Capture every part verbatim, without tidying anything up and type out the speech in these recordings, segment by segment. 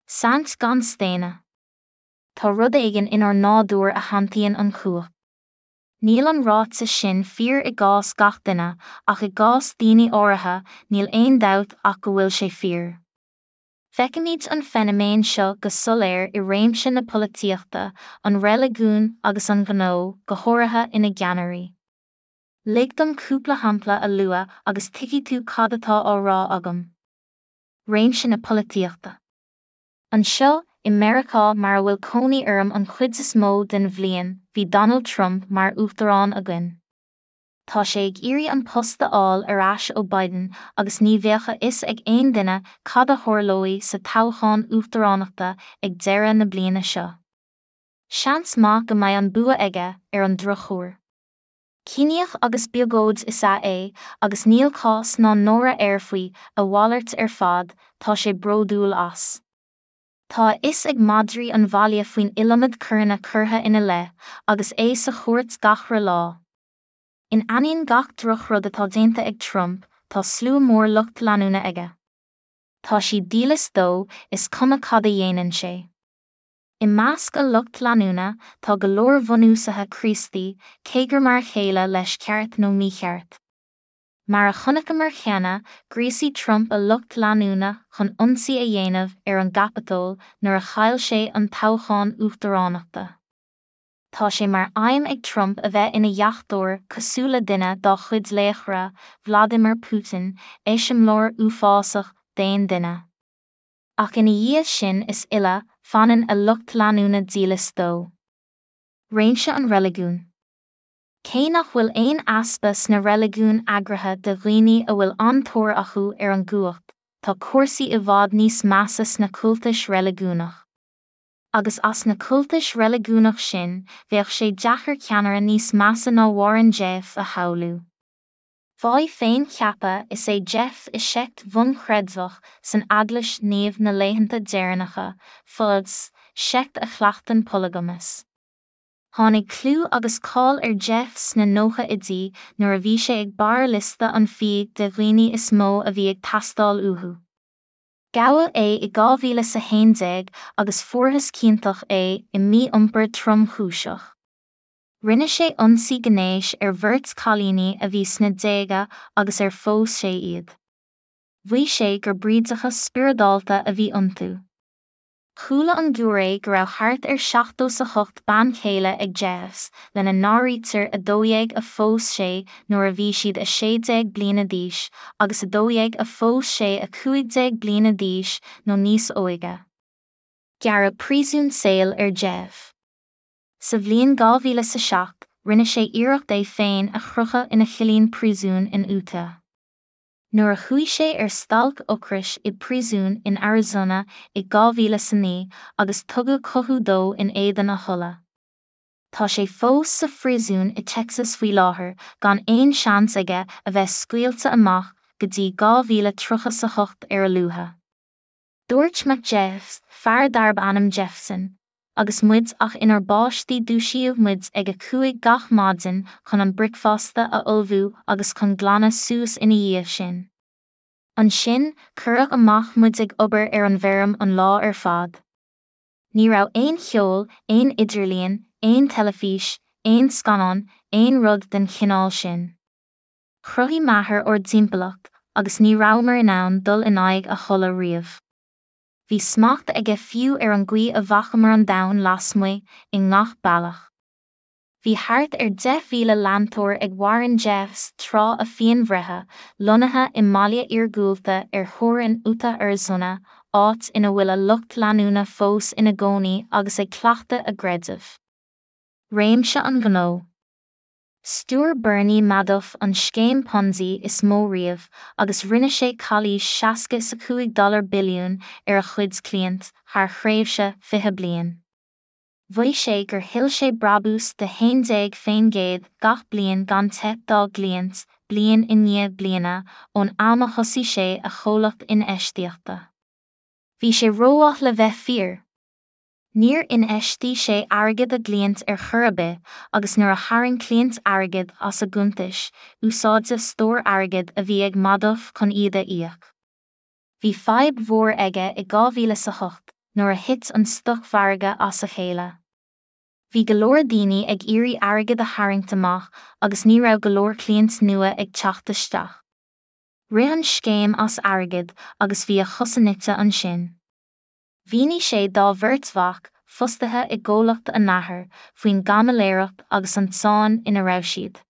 Saint gan staonadh. Tá rud éigin inár nádúr a shantaíonn an chumhacht. Níl an ráiteas sin fíor i gcás gach duine, ach i gcás daoine áirithe, níl aon dabht ach go bhfuil sé fíor. Feicimid an feiniméan seo go soiléir i réimse na polaitíochta, an reiligiúin agus an ghnó, go háirithe ina gceannairí. Lig dom cúpla shampla a lua agus tuigfidh tú cad atá á rá agam. Réimse na polaitíochta. Anseo, i Meiriceá mar a bhfuil cónaí orm an chuid is mó den bhliain, bhí Donald Trump mar uachtarán againn. Tá sé ag iarraidh an post a fháil ar ais ó Biden agus ní bheadh a fhios ag aon duine cad a tharlóidh sa toghchán uachtaránachta ag deireadh na bliana seo. Seans maith go mbeidh an bua aige, ar an drochuair. Ciníoch agus biogóid is ea é, agus níl cás ná náire air faoi, a mhalairt ar fad, tá sé bródúil as. Tá a fhios ag madraí an bhaile faoin iliomad coireanna curtha ina leith, agus é sa chúirt gach re lá. In ainneoin gach drochrud atá déanta ag Trump, tá slua mór lucht leanúna aige. Tá siad dílis dó, is cuma cad a dhéanann sé. I measc a lucht leanúna, tá go leor bunúsaithe Críostaí, cé gur mar a chéile leis ceart nó mícheart. Mar a chonaiceamar cheana, ghríosaigh Trump a lucht leanúna chun ionsaí a dhéanamh ar an gCaipeatól nuair a chaill sé an toghchán uachtaránachta. Tá sé mar aidhm ag Trump a bheith ina dheachtóir cosúil le duine dá chuid laochra, Vladimir Putin, eiseamláir uafásach d'aon duine. Ach ina dhiaidh sin is uile, fanann a lucht leanúna dílis dó. Réimse an reiligiúin. Cé nach bhfuil aon easpa sna reiligiúin eagraithe de dhaoine a bhfuil an-tóir acu ar an gcumhacht, tá cúrsaí i bhfad níos measa sna cultais reiligiúnach. Agus as na cultais reiligiúnach sin, bheadh sé deacair ceannaire níos measa ná Warren Jeffs a shamhlú. Fáidh féincheaptha is ea Jeffs i seict bhunchreidmheach san Eaglais Naomh na Laethanta Deireanacha, FLDS, seict a chleachtann polagamas. Tháinig clú agus cáil ar Jeffs sna nóchaidí nuair a bhí sé ag barr liosta an FBI de dhaoine is mó a bhí ag teastáil uathu. Gabhadh é i dhá mhíle is a haon déag agus fuarthas ciontach é i mí-iompar tromchúiseach. Rinne sé ionsaí gnéis ar bheirt chailíní a bhí sna déaga agus ar phós sé iad. Mhaígh sé gur brídeacha spioradálta a bhí iontu. Chuala an giúiré go raibh thart ar seachtó is a hocht bean chéile ag Jeffs, lena n-áirítear a dó dhéag a phós sé nuair a bhí siad a sé déag bliana d'aois agus a dó dhéag a phós sé a cúig déag bliana d'aois nó níos óige. Gearradh príosún saoil ar Jeffs. Sa bhliain dhá mhíle is a seacht, rinne sé iarracht é féin a chrochadh ina chillín príosúin in Utah. Nuair a chuaigh sé ar stailc ocrais i bpríosún in Arizona i dhá mhíle is a naoi agus tugadh cothú dó in éadan a thola. Tá sé fós sa phríosún i Texas faoi láthair gan aon seans aige a bheith scaoilte amach go dtí dhá mhíle tríocha is a hocht ar a luaithe. Dúirt mac Jeffs, fear darb ainm Jefferson, agus muid ach inár bpáistí dúisíodh muid ag a cúig gach maidin chun an bricfeasta a ullmhú agus chun glanadh suas ina dhiaidh sin. Ansin, cuireadh amach muid ag obair ar an bhfeirm an lá ar fad. Ní raibh aon cheol, aon idirlíon, aon teilifís, aon scannán, aon rud den chineál sin. Chruthaigh m'athair ár dtimpeallacht agus ní rabhamar in ann dul in aghaidh a thola riamh. Bhí smacht aige fiú ar an gcaoi a bhfacamar an domhan lasmuigh, i ngach bealach. Bhí thart ar deich mhíle leantóir ag Warren Jeffs tráth a phianbhreithe, lonnaithe i mbaile iargúlta ar theorainn Utah Arizona, áit ina bhfuil a lucht leanúna fós ina gcónaí agus ag cleachtadh a gcreidimh. Réimse an ghnó. Stiúir Bernie Madoff an scéim Ponzi is mó riamh agus rinne sé calaois seasca is a cúig dollar billiún ar a chuid cliant thar thréimhse fiche bliain. Mhaígh sé gur thuill sé brabús de haon déag faoin gcéad gach bliain gan teip dá gcliaint, bliain i ndiaidh bliana, ón am a thosaigh sé a chomhlacht infheistíochta. Bhí sé rómhaith le bheith fíor. Níor infheistigh sé airgead a gcliant ar chor ar bith agus nuair a tharraing cliaint airgead as a gcuntais, úsáideadh stór airgid a bhí ag Madoff chun iad a íoc. Bhí fadhb mhór aige i dhá mhíle is a hocht, nuair a thit an stocmhargadh as a chéile. Bhí go leor daoine ag iarraidh airgead a tharraingt amach agus ní raibh go leor cliaint nua ag teacht isteach. Rith an scéim as airgead agus bhí a chosa nite ansin. Mhínigh sé dá bheirt mhac, fostaithe i gcomhlacht a n-athar, faoin gcaimiléireacht agus an tsáinn ina raibh siad.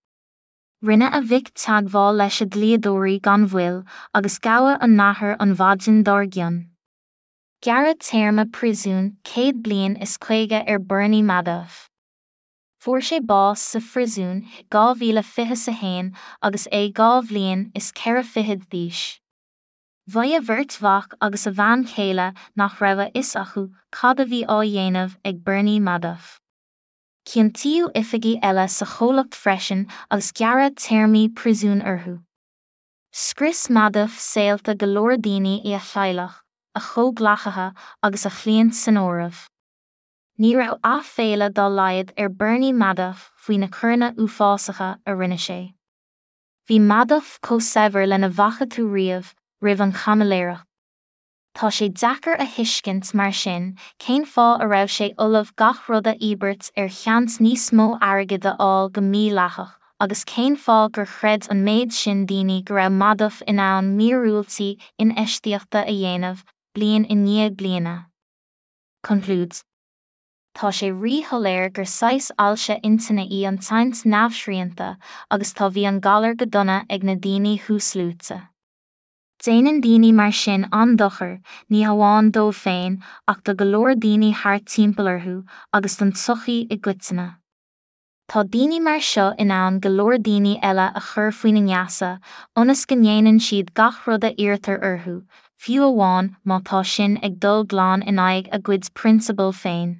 Rinne a mhic teagmháil leis a dlíodóirí gan mhoill agus gabhadh a n-athair an mhaidin dár gcionn. Gearradh téarma príosúin céad bliain is caoga ar Bernie Madoff. Fuair sé bás sa phríosún dhá mhíle fiche a haon agus é dhá bhliain is ceithre fichid d'aois. Mhaígh a bheirt mhac agus a bhean chéile nach raibh a fhios acu cad a bhí á dhéanamh ag Bernie Madoff. Ciontaíodh oifigigh eile sa chomhlacht freisin agus gearradh téarmaí príosúin orthu. Scrios Madoff saolta go leor daoine i a theaghlach, a chomhghleacaithe agus a chliaint san áireamh. Ní raibh aiféala dá laghad ar Bernie Madoff faoi na coireanna uafásacha a rinne sé. Bhí Madoff chomh saibhir lena bhfaca tú riamh roimh an chaimiléireacht. Tá sé deacair a thuiscint mar sin cén fáth a raibh sé ullamh gach rud a íobairt ar sheans níos mó airgid a fháil go mídhleathach, agus cén fáth gur chreid an méid sin daoine go raibh Madoff in ann míorúiltí infheistíochta a dhéanamh, bliain i ndiaidh bliana. Concludes. Tá sé ríshoiléir gur saghas ailse intinne í an tsaint neamhshrianta agus tá bhí an galar go dona ag na daoine thuasluaite. Déanann daoine mar sin an-dochar, ní hamháin dóibh féin ach do go leor daoine thart timpeall orthu agus don tsochaí i gcoitinne. Tá daoine mar seo in ann go leor daoine eile a chur faoina ngeasa, ionas go ndéanann siad gach rud a iarrtar orthu, fiú amháin má tá sin ag dul glan in aghaidh a gcuid prionsabal féin.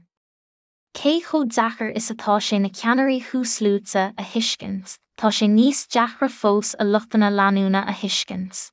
Cé chomh deacair is atá sé na ceannairí thuasluaite a thuiscint, tá sé níos deacra fós a luchtanna leanúna a thuiscint.